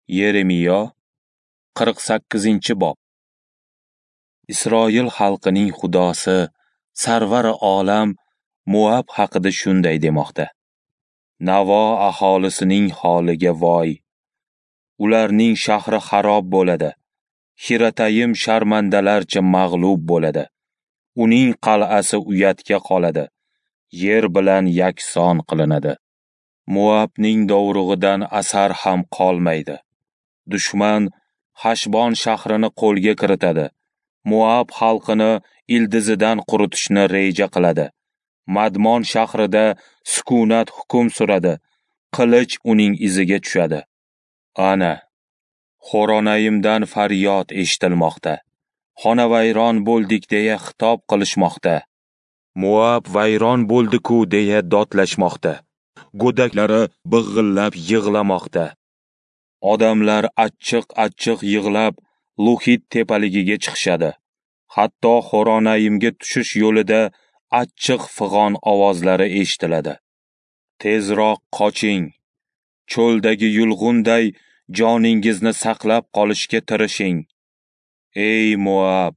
Yeremiyo 48-bob. Isroil xalqining Xudosi, Sarvari olam Moab haqida shunday demoqda: Navo aholisining holiga voy! Ularning shahri xarob bo'ladi. Xiratayim sharmandalarcha mag'lub bo'ladi. Uning qal'asi uyatga qoladi. Yer bilan yakson qilinadi. Moabning dovrug'idan asar ham qolmaydi. Dushman Hashbon shahrini qo'lga kiritadi. Moab xalqini ildizidan quritishni reja qiladi. Madmon shahrida sukunat hukm suradi. Qilich uning iziga tushadi. Ana, Xoronayimdan faryod eshitilmoqda. Xonavayron bo'ldik deya xitob qilishmoqda. Moab vayron bo'ldi-ku deya dodlashmoqda. Go'daklari big'illab yig'lamoqda. Odamlar achchiq-achchiq yig'lab Luhit tepaligiga chiqishadi. Hatto Xoronayimga tushish yo'lida achchiq fig'on ovozlari eshitiladi. Tezroq qoching. Cho'ldagi yulg'unday joningizni saqlab qolishga tirishing. Ey Moab,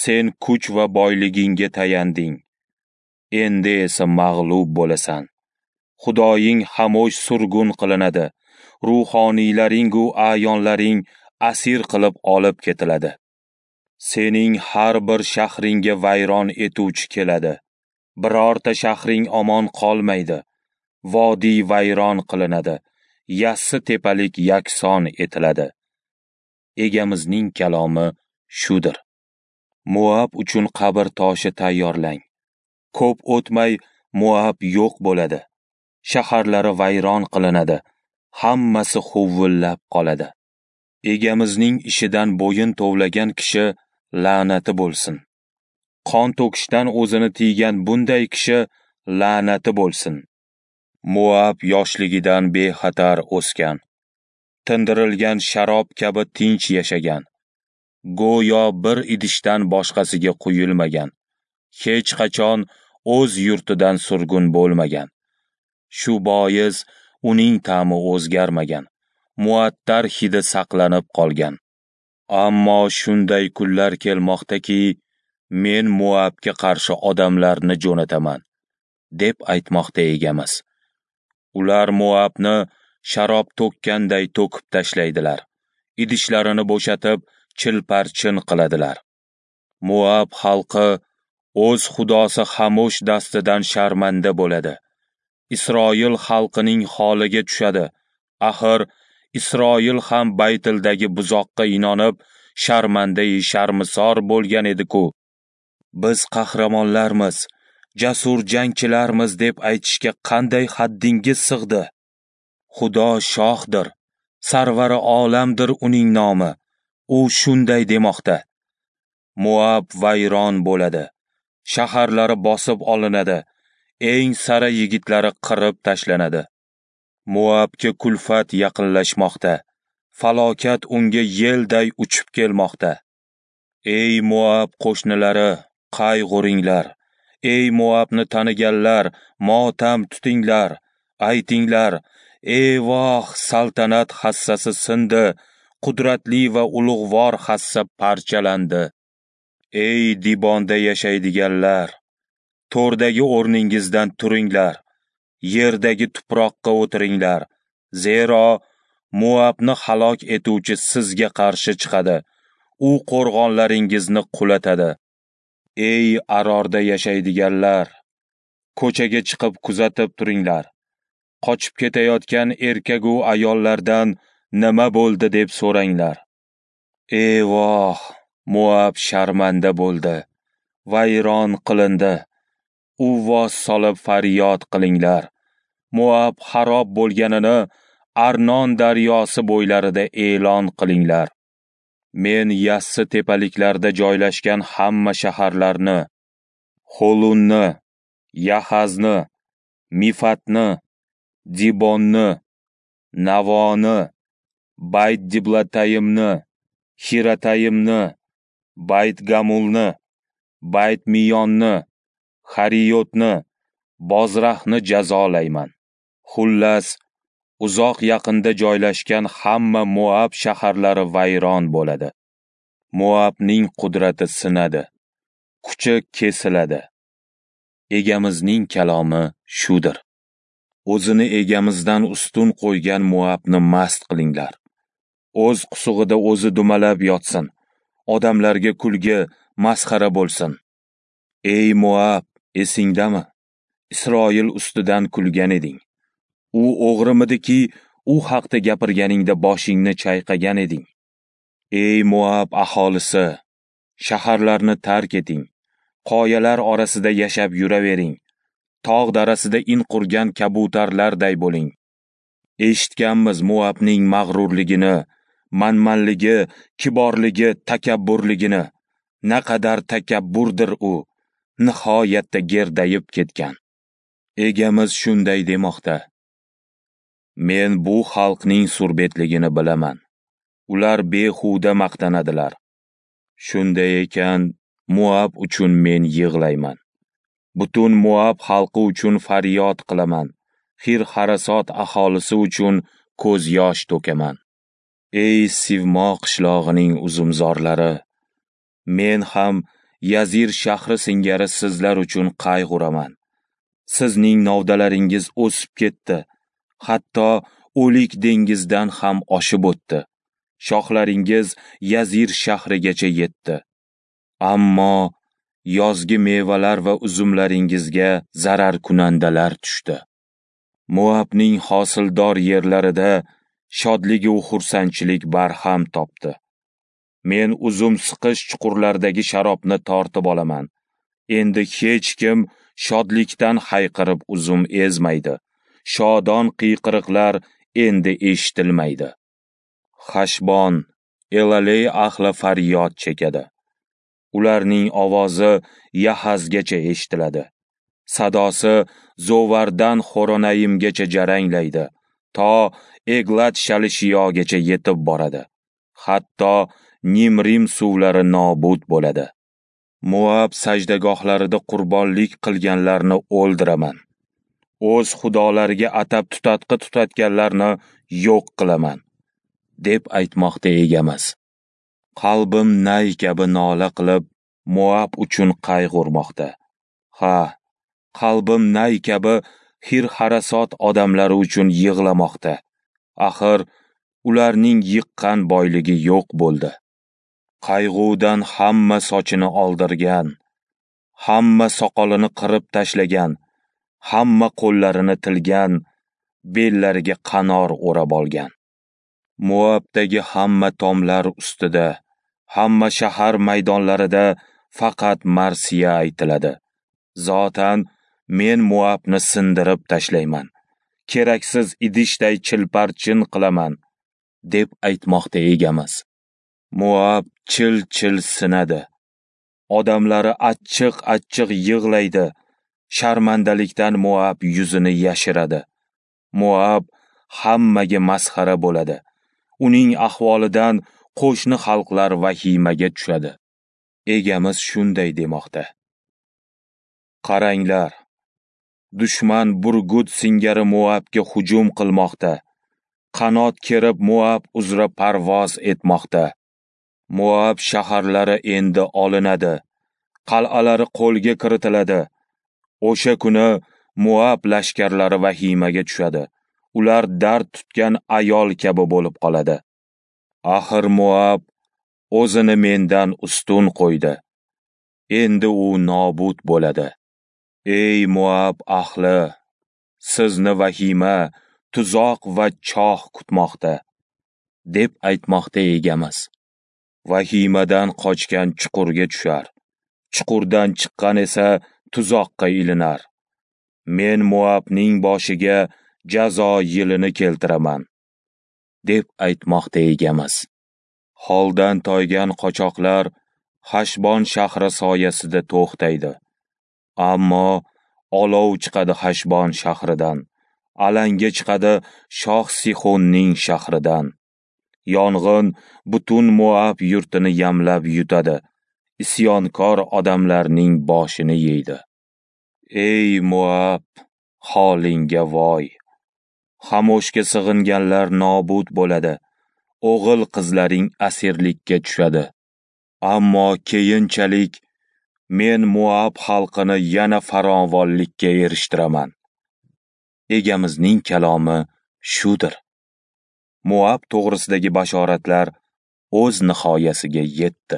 sen kuch va boyligingga tayanding. Endi esa mag'lub bo'lasan. Xudoying Hamosh surgun qilinadi. Ruhoniylaring u a'yonlaring asir qilib olib ketiladi. Sening har bir shahringga vayron etuvchi keladi. Birorta shahring omon qolmaydi. Vodiy vayron qilinadi. Yassi tepalik yakson etiladi. Egamizning kalomi shudir. Moab uchun qabr toshi tayyorlang. Ko'p o'tmay Moab yo'q bo'ladi. Shaharlari vayron qilinadi. Hammasi huvillab qoladi. Egamizning ishidan bo'yin tovlagan kishi la'nati bo'lsin. Qon to'kishdan o'zini tiygan bunday kishi la'nati bo'lsin. Moab yoshligidan bexatar o'sgan. Tindirilgan sharob kabi tinch yashagan. Go'yo bir idishdan boshqasiga quyilmagan. Hech qachon o'z yurtidan surgun bo'lmagan. Shu bois uning ta'mi o'zgarmagan. Muattar hidi saqlanib qolgan. Ammo shunday kunlar kelmoqdaki, men Moabga qarshi odamlarni jo'nataman, deb aytmoqda Egamiz. Ular Moabni sharob to'kkanday to'kib tashlaydilar. Idishlarini bo'shatib, chilparchin qiladilar. Moab xalqi o'z xudosi Hamosh dastidan sharmanda bo'ladi. Isroil xalqining holiga tushadi. Axir Isroil ham Baytildagi buzoqqa inonib, sharmandai sharmisor bo'lgan edi-ku. Biz qahramonlarmiz, jasur jangchilarmiz deb aytishga qanday haddingiz sig'di? Xudo shohdir, sarvari olamdir uning nomi. U shunday demoqda: Moab vayron bo'ladi, shaharlari bosib olinadi, eng sara yigitlari qirib tashlanadi. Moabga kulfat yaqinlashmoqda, falokat unga yelday uchib kelmoqda. Ey Moab qo'shnilari, qayg'uringlar! Ey Moabni taniganlar, motam tutinglar! Aytinglar: ey voh, saltanat hassasi sindi, qudratli va ulug'vor hassa parchalandi. Ey Dibonda yashaydiganlar, to'rdagi o'rningizdan turinglar, yerdagi tuproqqa o'tiringlar, zero Moabni halok etuvchi sizga qarshi chiqadi, u qo'rg'onlaringizni qulatadi. Ey Arorda yashaydiganlar, ko'chaga chiqib kuzatib turinglar. Qochib ketayotgan erkak u ayollardan nima bo'ldi deb so'ranglar. Ey voh, Moab sharmanda bo'ldi, vayron qilindi. Uvvos solib faryod qilinglar. Moab xarob bo'lganini Arnon daryosi bo'ylarida e'lon qilinglar. Men yassi tepaliklarda joylashgan hamma shaharlarni, Holunni, Yahazni, Mifatni, Dibonni, Navoni, Bayt-Diblatayimni, Xiratayimni, Bayt-Gamulni, Bayt-Miyonni, Hariyotni, Bozrahni jazolayman. Xullas, Uzoq yaqinda joylashgan hamma Moab shaharlari vayron bo'ladi. Moabning qudrati sinadi, kuchi kesiladi. Egamizning kalomi shudir. O'zini egamizdan ustun qo'ygan Moabni mast qilinglar. O'z qusug'ida o'zi dumalab yotsin. Odamlarga kulgi, masxara bo'lsin. Ey Moab, esingdami? Isroil ustidan kulgan eding. U o'g'rimidiki, u haqda gapirganingda boshingni chayqagan eding. Ey Moab aholisi, shaharlarni tark eting. Qoyalar orasida yashab yuravering. Tog' darasida in qurgan kabutarlarday bo'ling. Eshitganmiz Moabning mag'rurligini, manmanligi, kiborligi, takabburligini. Naqadar takabburdir u, nihoyatda gerdayib ketgan. Egamiz shunday demoqda: Men bu xalqning surbetligini bilaman. Ular behuda maqtanadilar. Shunday ekan, Moab uchun men yig'layman. Butun Moab xalqi uchun faryod qilaman. Xir-Harasot aholisi uchun ko'z yosh to'kaman. Ey Sivmo qishlog'ining uzumzorlari, men ham Yazir shahri singari sizlar uchun qayg'uraman. Sizning novdalaringiz o'sib ketdi, hatto o'lik dengizdan ham oshib o'tdi. Shoxlaringiz Yazir shahrigacha yetdi. Ammo yozgi mevalar va uzumlaringizga zararkunandalar tushdi. Moabning hosildor yerlarida shodligi va xursandchilik barham topdi. Men uzum siqish chuqurlaridagi sharobni tortib olaman. Endi hech kim shodlikdan hayqirib uzum ezmaydi. Shodon qiyqiriqlar endi eshitilmaydi. Xashbon, Elaley ahli faryod chekadi. Ularning ovozi Yahazgacha eshitiladi. Sadosi Zovardan Xoronayimgacha jaranglaydi, to Eglat Shalishiyogacha yetib boradi. Hatto Nimrim suvlari nobud bo'ladi. Moab sajdagohlarida qurbonlik qilganlarni o'ldiraman. O'z xudolariga atab tutatqi tutatganlarni yo'q qilaman, deb aytmoqda egamiz. Qalbim nay kabi nola qilib, Moab uchun qayg'urmoqda. Ha, qalbim nay kabi Xir-Harasot odamlari uchun yig'lamoqda. Axir ularning yiqqan boyligi yo'q bo'ldi. Qayg'udan hamma sochini oldirgan, hamma soqolini qirib tashlagan, hamma qo'llarini tilgan, bellariga qanor o'rab olgan. Moabdagi hamma tomlar ustida, hamma shahar maydonlarida faqat marsiya aytiladi. Zotan men Moabni sindirib tashlayman. Keraksiz idishday chilparchin qilaman, deb aytmoqda egamiz. Moab chil-chil sinadi. Odamlari achchiq-achchiq yig'laydi. Sharmandalikdan Moab yuzini yashiradi. Moab hammaga masxara bo'ladi. Uning ahvolidan qo'shni xalqlar vahimaga tushadi. Egamiz shunday demoqda: Qaranglar, dushman burgut singari Moabga hujum qilmoqda. Qanot kerib Moab uzra parvoz etmoqda. Moab shaharlari endi olinadi, qal'alari qo'lga kiritiladi. O'sha kuni Moab lashkarlari vahimaga tushadi. Ular dard tutgan ayol kabi bo'lib qoladi. Axir Moab o'zini mendan ustun qo'ydi. Endi u nobud bo'ladi. Ey Moab ahli, sizni vahima, tuzoq va choh kutmoqda, deb aytmoqda egamiz. Vahimadan qochgan chuqurga tushar, chuqurdan chiqqan esa tuzoqqa ilinar. Men Moabning boshiga jazo yilini keltiraman, deb aytmoqda egamiz. Holdan toygan qochoqlar Hashbon shahri soyasida to'xtaydi. Ammo olov chiqadi Hashbon shahridan, alanga chiqadi shoh Sixonning shahridan. Yong'in butun Moab yurtini yamlab yutadi, isyonkor odamlarning boshini yeydi. Ey Moab, holingga voy! Xamoshga sig'inganlar nobud bo'ladi. O'g'il qizlaring asirlikka tushadi. Ammo keyinchalik men Moab xalqini yana farovonlikka erishtiraman. Egamizning kalomi shudir. Moab to'g'risidagi bashoratlar o'z nihoyasiga yetdi.